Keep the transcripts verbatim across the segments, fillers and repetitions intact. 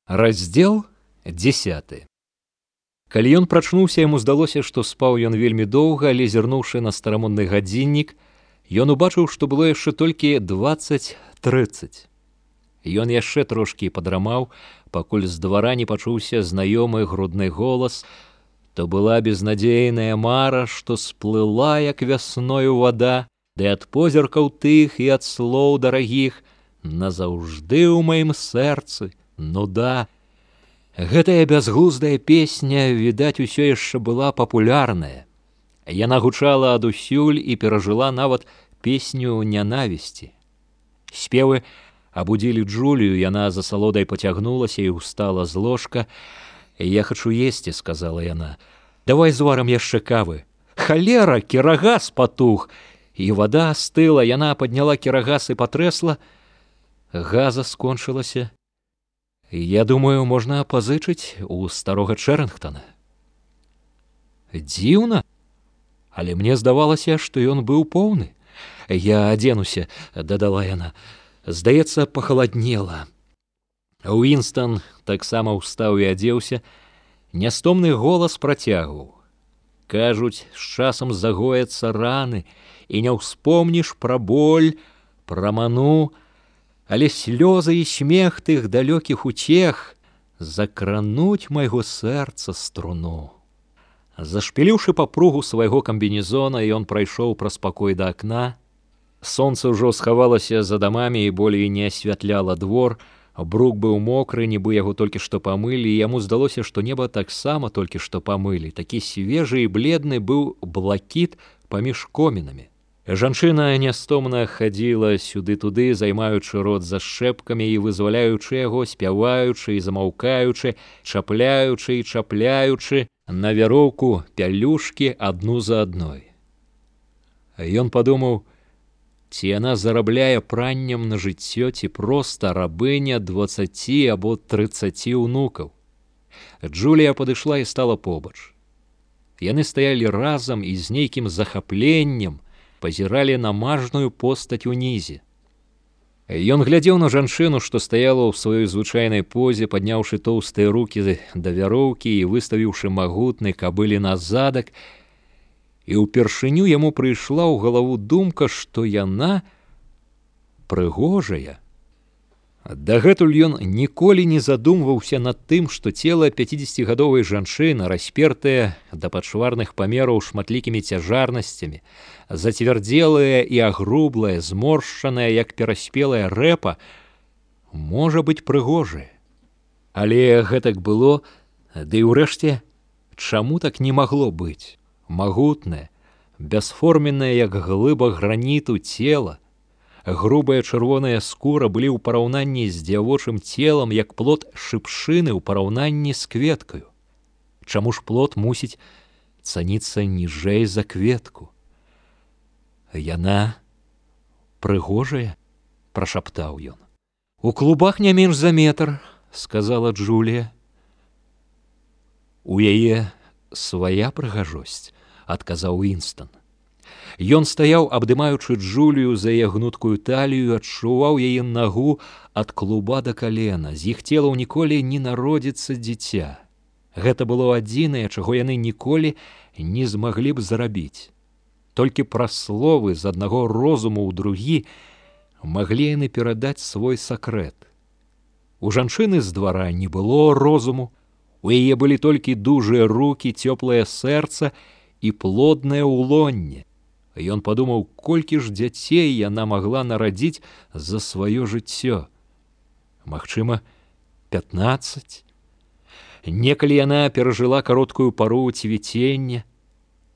Раздзел дзесяты. Калі ён прачнуўся, яму здалося, што спаў ён вельмі доўга, але зірнуўшы на старамодны гадзіннік, ён убачыў, што было яшчэ толькі дваццаць трыццаць. Ён яшчэ трошкі падрамаў, пакуль з двара не пачуўся знаёмы грудны голас. То была безнадзейная мара, што сплыла, як вясною вада, ды ад позіркаў тых і ад слоў дарагіх назаўжды ў маім сэрцы нуда. Гэтая бязглуздая песня, відаць, усё яшчэ была папулярная. Яна гучала адусюль і перажыла нават песню нянавісці. Спевы абудзілі Джулію, яна за салодай пацягнулася і ўстала з ложка. «Я хачу есці», — сказала яна. «Давай зварам яшчэ кавы». «Халера, кірагас патух!» І вада астыла, яна падняла кірагас і патрэсла. Газа скончылася. «Я думаю, можна пазычыць у старога Чэрынгтона». Дзіўна, але мне здавалася, што ён быў поўны. «Я адзенуся», — дадала яна. «Здаецца, пахаладнела». Уінстон таксама ўстаў і адзеўся. Нястомны голас працягваў. «Кажуць, з часам загояцца раны, і не ўспомніш пра боль, пра ману, але слёзы і смех тых далёкіх утех закрануць майго сэрца струну». Зашпіліўшы папругу свайго камбінезона, ён прайшоў праз пакой да акна. Сонца ўжо схавалася за дамамі і болей не асвятляла двор. Брук быў мокры, нібы яго толькі што памылі, і яму здалося, што неба таксама толькі што памылі. Такі свежы і бледны быў блакіт паміж комінамі. Жанчына нястомна хадзіла сюды-туды, займаючы рот зашчэпкамі і вызваляючы яго, спяваючы і замаўкаючы, чапляючы і чапляючы на вяроўку пялюшкі адну за адной. Ён падумаў, ці яна зарабляе праннем на жыццё, ці проста рабыня дваццаці або трыццаці ўнукаў. Джулія падышла і стала побач. Яны стаялі разам і з нейкім захапленнем пазіралі на мажную постаць унізе. Ён глядзеў на жанчыну, што стаяла ў сваёй звычайнай позе, падняўшы тоўстыя рукі да вяроўкі і выставіўшы магутны кабылін задак, і ўпершыню яму прыйшла ў галаву думка, што яна прыгожая. Дагэтуль ён ніколі не задумваўся над тым, што цела пяцідзесяцігадовай жанчыны, распертае да пачварных памераў шматлікімі цяжарнасцямі, зацвярдзелая і агрублая, зморшчаная, як пераспелая рэпа, можа быць прыгожая. Але гэтак было, ды і ўрэшце, чаму так не магло быць? Магутнае, бясформеннае, як глыба граніту цела, грубая чырвоная скура былі ў параўнанні з дзявочым целам, як плод шыпшыны ў параўнанні з кветкаю. Чаму ж плод мусіць цаніцца ніжэй за кветку? «Яна прыгожая», — прашаптаў ён. «У клубах не менш за метр», — сказала Джулія. «У яе свая прыгажосць», — адказаў Уінстон. Ён стаяў, абдымаючы Джулію за яе гнуткую талію, адчуваў яе нагу ад клуба да калена. З іх целаў ніколі не народзіцца дзіця. Гэта было адзінае, чаго яны ніколі не змаглі б зарабіць. Толькі праз словы з аднаго розуму ў другі маглі яны перадаць свой сакрэт. У жанчыны з двара не было розуму, у яе былі толькі дужыя рукі, цёплае сэрца і плоднае ўлонне. Ён падумаў, колькі ж дзяцей яна магла нарадзіць за сваё жыццё. Магчыма, пятнаццаць. Некалі яна перажыла кароткую пару цвіцення.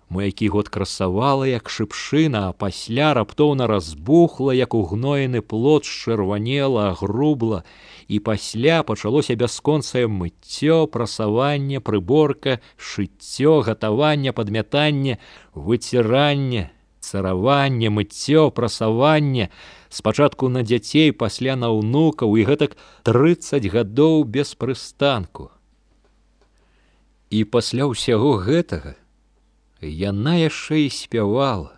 Мо які год красавала, як шыпшына, а пасля раптоўна разбухла, як угноены плод, счырванела, агрубла, і пасля пачалося бясконцае мыццё, прасаванне, прыборка, шыццё, гатаванне, падмятанне, выціранне, цараванне, мыццё, прасаванне, спачатку на дзяцей, пасля на ўнукаў, і гэтак трыццаць гадоў без прыстанку. І пасля ўсяго гэтага яна яшчэ і спявала.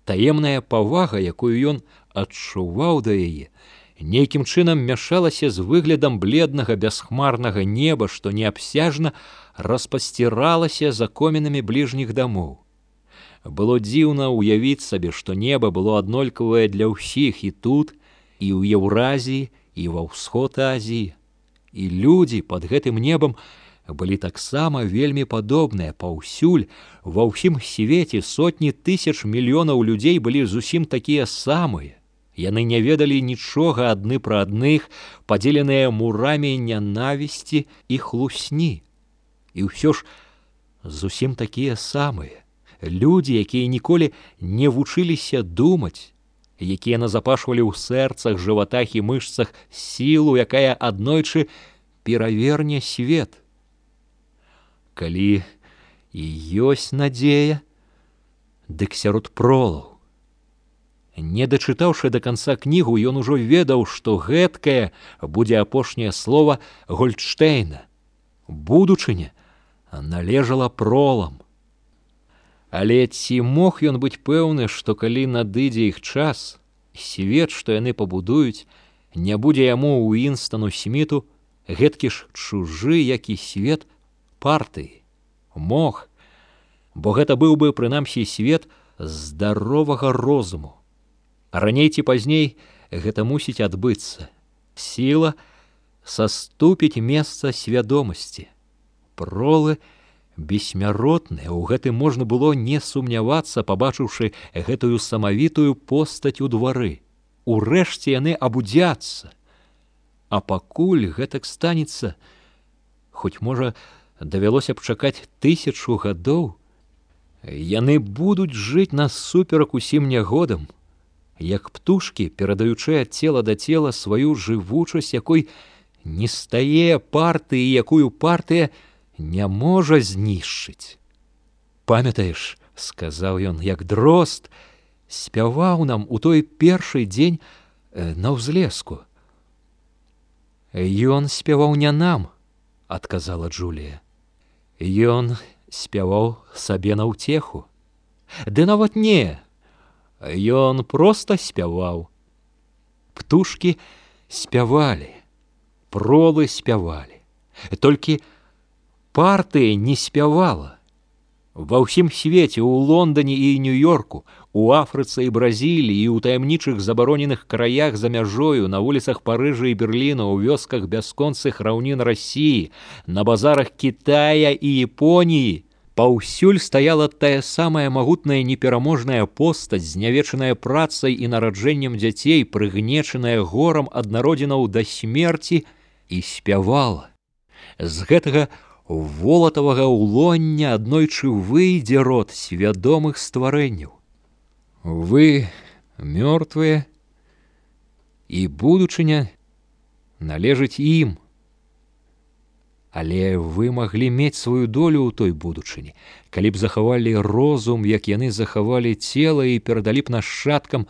Таемная павага, якую ён адчуваў да яе, нейкім чынам мяшалася з выглядам бледнага бясхмарнага неба, што неабсяжна распасціралася за комінамі бліжніх дамоў. Было дзіўна ўявіць сабе, што неба было аднолькавае для ўсіх і тут, і ў Еўразіі, і ва ўсход Азіі. І людзі пад гэтым небам былі таксама вельмі падобныя паўсюль, ва ўсім свеце сотні тысяч мільёнаў людзей былі зусім такія самыя. Яны не ведалі нічога адны пра адных, падзеленыя мурамі нянавісці і хлусні. І ўсё ж зусім такія самыя. Людзі, якія ніколі не вучыліся думаць, якія назапашвалі ў сэрцах, жыватах і мышцах сілу, якая аднойчы пераверне свет. Калі і ёсць надзея, дык сярод пролаў. Не дачытаўшы да канца кнігу, ён ужо ведаў, што гэткае будзе апошняе слова Гольдштейна. Будучыня належала пролам. Але ці мог ён быць пэўны, што калі надыдзе іх час, свет, што яны пабудуюць, не будзе яму Уінстону Сміту гэткі ж чужы, як і свет партыі? Мог, бо гэта быў бы, прынамсі, свет здаровага розуму. Раней ці пазней гэта мусіць адбыцца. Сіла саступіць месца свядомасці. Пролы бессмяротныя, у гэтым можна было не сумнявацца, пабачыўшы гэтую самавітую постаць у двары. Урэшце яны абудзяцца. А пакуль гэтак станецца, хоць, можа, давялося б чакаць тысячу гадоў, яны будуць жыць насуперак усім нягодам, як птушкі, перадаючы ад цела да цела сваю жывучасць, якой не стае партыі, якую партыя не можа знішчыць. Памятаеш, сказаў ён, як дрозд спяваў нам у той першы дзень на ўзлеску. Ён спяваў не нам, адказала Джулія. Ён спяваў сабе на ўцеху. Ды нават не, ён проста спяваў. Птушкі спявалі, пролы спявалі. Толькі партыя не спявала. Ва ўсім свеце, у Лондоне і Нью-Йорку, у Афрыцы і Бразіліі, і ў таямнічых забароненых краях за мяжою, на вуліцах Парыжа і Берліна, у вёсках бясконцых раўнін Расіі, на базарах Кітая і Японіі, паўсюль стаяла тая самая магутная непераможная постаць, знявечаная працай і нараджэннем дзяцей, прыгнечаная горам ад народзінаў да смерці, і спявала. З гэтага волатавага ўлоння аднойчы выйдзе род свядомых стварэнняў. Вы мёртвыя, і будучыня належыць ім. Але вы маглі мець сваю долю ў той будучыні, калі б захавалі розум, як яны захавалі цела, і перадалі б нашчадкам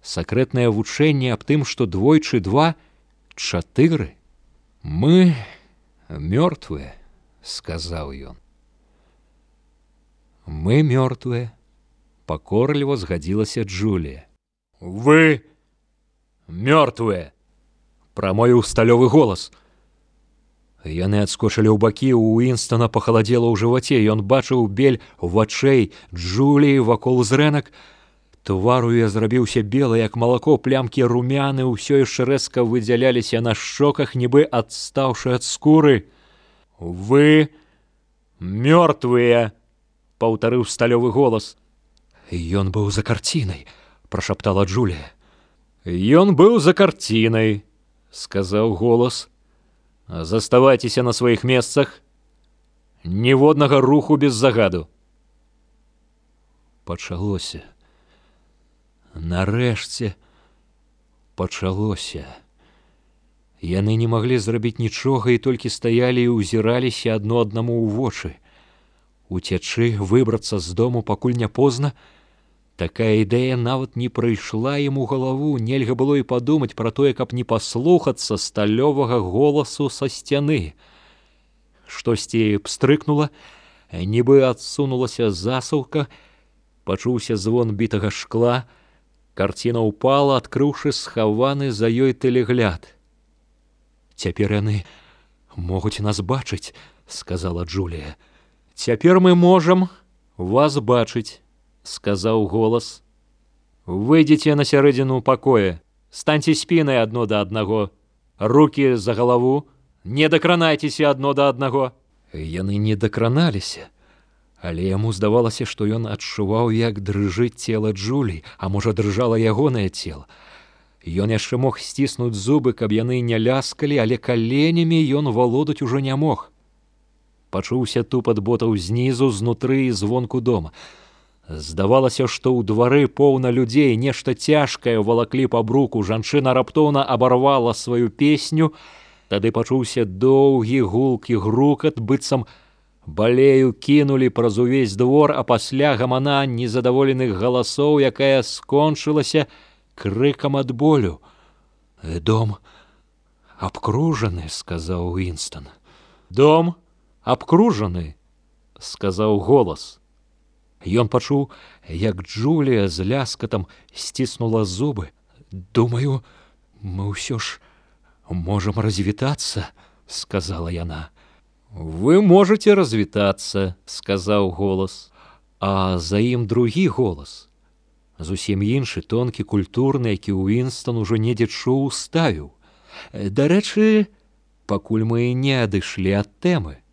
сакрэтнае вучэнне аб тым, што двойчы два — чатыры. Мы мёртвыя, сказаў ён. Мы мёртвыя, пакорліва згадзілася Джулія. Вы мёртвыя, прамовіў сталёвы голас. Яны адскочылі ў бакі, у Уінстона пахаладзела ў жываце, ён бачыў бель вачэй Джуліі вакол зрэнак. Твар у яе зрабіўся белы, як малако, плямкі румяны ўсё яшчэ рэзка выдзяляліся на шчоках, нібы адстаўшы ад скуры. Вы мёртвыя, паўтарыў сталёвы голас. Ён быў за карцінай, прашаптала Джулія. Ён быў за карцінай, сказаў голас. Заставайцеся на сваіх месцах. Ніводнага руху без загаду. Пачалося. Нарэшце пачалося. Яны не маглі зрабіць нічога і толькі стаялі і ўзіраліся адно аднаму ў вочы. Уцячы, выбрацца з дому, пакуль не позна, такая ідэя нават не прыйшла ім у галаву. Нельга было і падумаць пра тое, каб не паслухацца сталёвага голасу са сцяны. Штосьці пстрыкнула, нібы адсунулася засаўка, пачуўся звон бітага шкла, Карціна ўпала, адкрыўшы схаваны за ёй тэлегляд. «Цяпер яны могуць нас бачыць», — сказала Джулія. «Цяпер мы можам вас бачыць», — сказаў голас. «Выйдзеце на сярэдзіну пакоя, станьце спінай адно да аднаго, рукі за галаву, не дакранайцеся адно да аднаго». Яны не дакраналіся, але яму здавалася, што ён адчуваў, як дрыжыць цела Джулі, а можа, дрыжала ягонае цела. Ён яшчэ мог сціснуць зубы, каб яны не ляскалі, але каленямі ён валодаць ужо не мог. Пачуўся тупат ботаў знізу, знутры і звонку дома. Здавалася, што ў двары поўна людзей, нешта цяжкае валаклі па бруку. Жанчына раптоўна абарвала сваю песню. Тады пачуўся доўгі гулкі грукат, быццам балею кінулі праз увесь двор, а пасля гамана незадаволеных галасоў, якая скончылася крыкам ад болю. «Дом абкружаны», — сказаў Уінстон. «Дом абкружаны», — сказаў голас. Ён пачуў, як Джулія з ляскатам сціснула зубы. «Думаю, мы ўсё ж можам развітацца», — сказала яна. «Вы можете развітацца», — сказаў голас. А за ім другі голас, зусім іншы, тонкі, культурны, які Уінстон ужо недзе чуў, ставіў. «Дарэчы, пакуль мы не адышлі ад тэмы».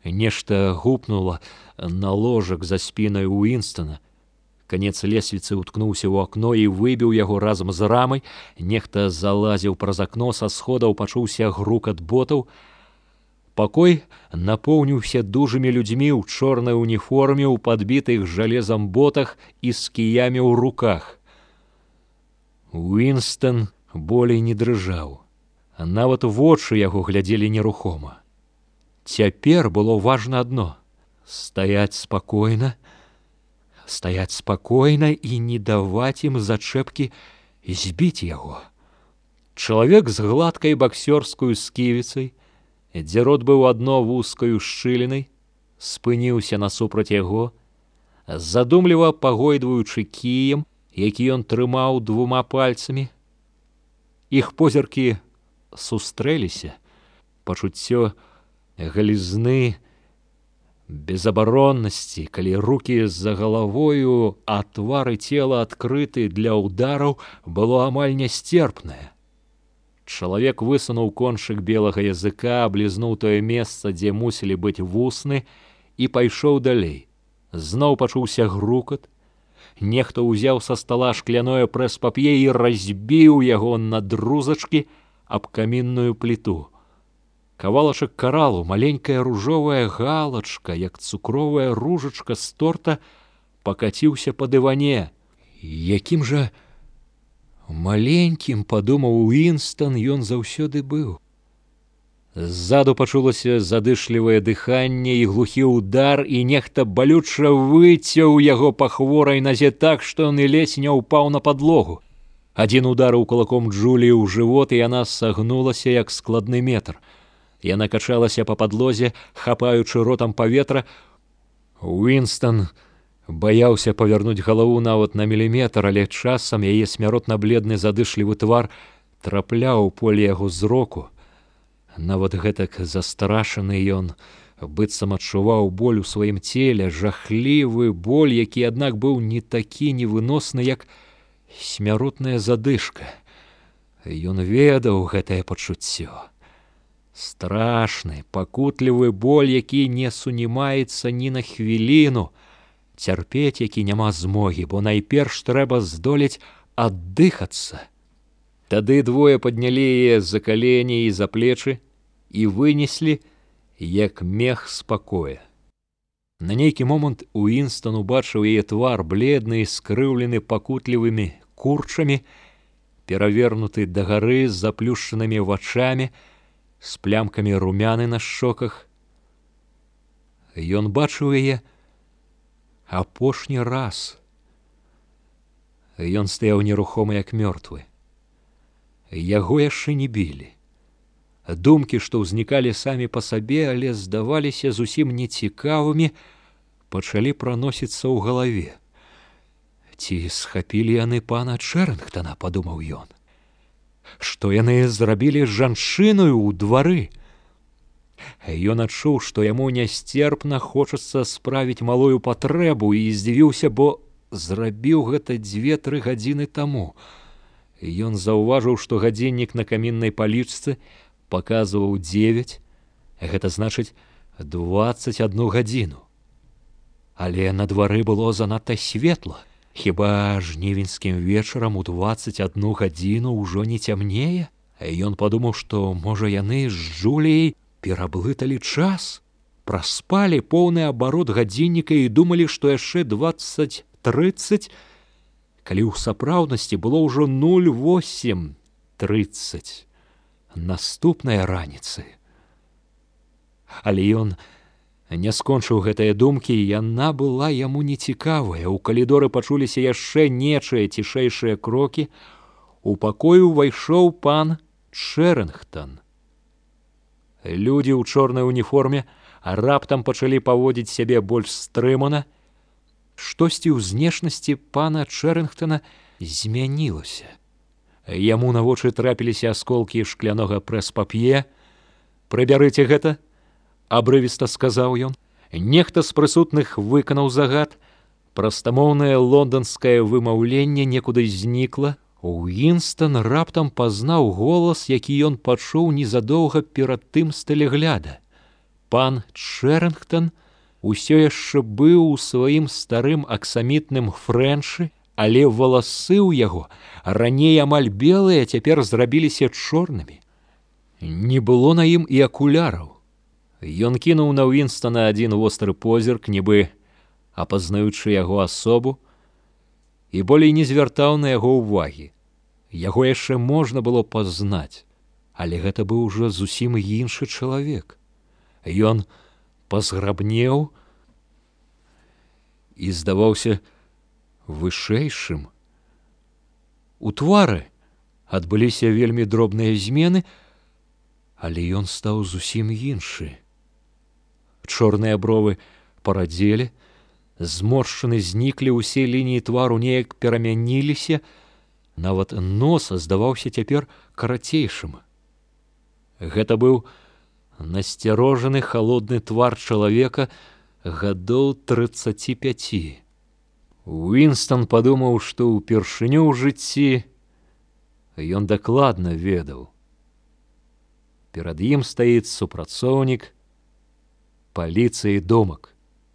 Нешта гупнула на ложак за спінай Уінстона. Канец лесвіцы ўткнуўся ў акно і выбіў яго разам з рамай. Нехта залазіў праз акно, са сходаў пачуўся грукат ботаў. Пакой напоўніўся дужымі людзьмі ў чорнай уніформе, у падбітых жалезам ботах і з кіямі ў руках. Уінстон болей не дрыжаў. Нават вочы яго глядзелі нерухома. Цяпер было важна адно — стаяць спакойна, стаяць спакойна і не даваць ім зачэпкі збіць яго. Чалавек з гладкай баксёрскую сківіцай, дзе рот быў адно вузкаю шчылінай, спыніўся насупраць яго, задумліва пагойдваючы кіем, які ён трымаў двума пальцамі. Іх позіркі сустрэліся. Пачуццё галізны, безабароннасці, калі рукі за галавою, а твары цела адкрыты для ўдараў, было амаль нясцерпнае. Чалавек высунуў кончык белага языка, аблізнуў тое месца, дзе мусілі быць вусны, і пайшоў далей. Зноў пачуўся грукат. Нехта ўзяў са стала шкляное прэс-пап'е і разбіў яго на друзачкі аб камінную пліту. Кавалачак каралу, маленькая ружовая галачка, як цукровая ружачка з торта, пакаціўся па дыване. Якім жа маленькім, падумаў Уінстон, ён заўсёды быў. Ззаду пачулася задышлівае дыханне і глухі ўдар, і нехта балюча выцяў яго па хворай назе так, што ён і ледзь не ўпаў на падлогу. Адзін ударыў кулаком Джуліі ў жывот, і яна сагнулася, як складны метр. Яна качалася па падлозе, хапаючы ротам паветра. Уінстон баяўся павярнуць галаву нават на міліметр, але часам яе смяротна-бледны задышлівы твар трапляў у поле яго зроку. Нават гэтак застрашаны ён быццам адчуваў боль у сваім целе, жахлівы боль, які, аднак, быў не такі невыносны, як смяротная задышка. Ён ведаў гэтае пачуццё. Страшны, пакутлівы боль, які не сунімаецца ні на хвіліну, цярпець які няма змогі, бо найперш трэба здолець аддыхацца. Тады двое паднялі яе за калені і за плечы і вынеслі, як мех з пакоя. На нейкі момант Уінстон убачыў яе твар, бледны і скрыўлены пакутлівымі курчамі, перавернуты дагары з заплюшчанымі вачамі, з плямкамі румяны на шчоках. Ён бачыў яе апошні раз. Ён стаяў нерухомы, як мёртвы. Яго яшчэ не білі. Думкі, што ўзнікалі самі па сабе, але здаваліся зусім нецікавымі, пачалі праносіцца ў галаве. Ці схапілі яны пана Чэрынгтана, падумаў ён. Што яны зрабілі з жанчыною ў двары? Ён адчуў, што яму нясцерпна хочацца справіць малую патрэбу і здзівіўся, бо зрабіў гэта дзве-тры гадзіны таму. Ён заўважыў, што гадзіннік на каміннай палічцы паказваў дзевяць, гэта значыць дваццаць адну гадзіну. Але на двары было занадта светла. Хіба жнівеньскім вечарам у дваццаць адну гадзіну ўжо не цямнее? Ён падумаў, што, можа, яны з Джуліяй пераблыталі час, праспалі поўны абарот гадзінніка і думалі, што яшчэ дваццаць трыццаць, калі ў сапраўднасці было ўжо нуль восем трыццаць наступнай раніцы. Але ён не скончыў гэтыя думкі, і яна была яму нецікавая. У калідоры пачуліся яшчэ нечыя цішэйшыя крокі. У пакой увайшоў пан Чэрынгтан. Людзі ў чорнай уніформе раптам пачалі паводзіць сябе больш стрымана. Штосьці ў знешнасці пана Чэрынгтана змянілася. Яму на вочы трапіліся асколкі шклянога прэс-пап'е. «Прыбярыце гэта», абрывіста сказаў ён. Нехта з прысутных выканаў загад. Прастамоўнае лонданскае вымаўленне некуды знікла. Уінстон раптам пазнаў голас, які ён пачуў незадоўга перад тым з тэлегляда. Пан Чэрынгтан усё яшчэ быў у сваім старым аксамітным фрэнчы, але валасы ў яго, раней амаль белыя, цяпер зрабіліся чорнымі. Не было на ім і акуляраў. Ён кінуў на Уінстона адзін востры позірк, нібы апазнаючы яго асобу, і болей не звяртаў на яго ўвагі. Яго яшчэ можна было пазнаць, але гэта быў ужо зусім іншы чалавек. Ён пазграбнеў і здаваўся вышэйшым. У твары адбыліся вельмі дробныя змены, але ён стаў зусім іншы. Чорныя бровы парадзелі, зморшчыны зніклі, усе лініі твару неяк перамяніліся, нават нос здаваўся цяпер карацейшым. Гэта быў насцярожаны халодны твар чалавека гадоў трыццаці пяці. Уінстон падумаў, што ўпершыню ў жыцці ён дакладна ведаў. Перад ім стаіць супрацоўнік паліцыі Домак.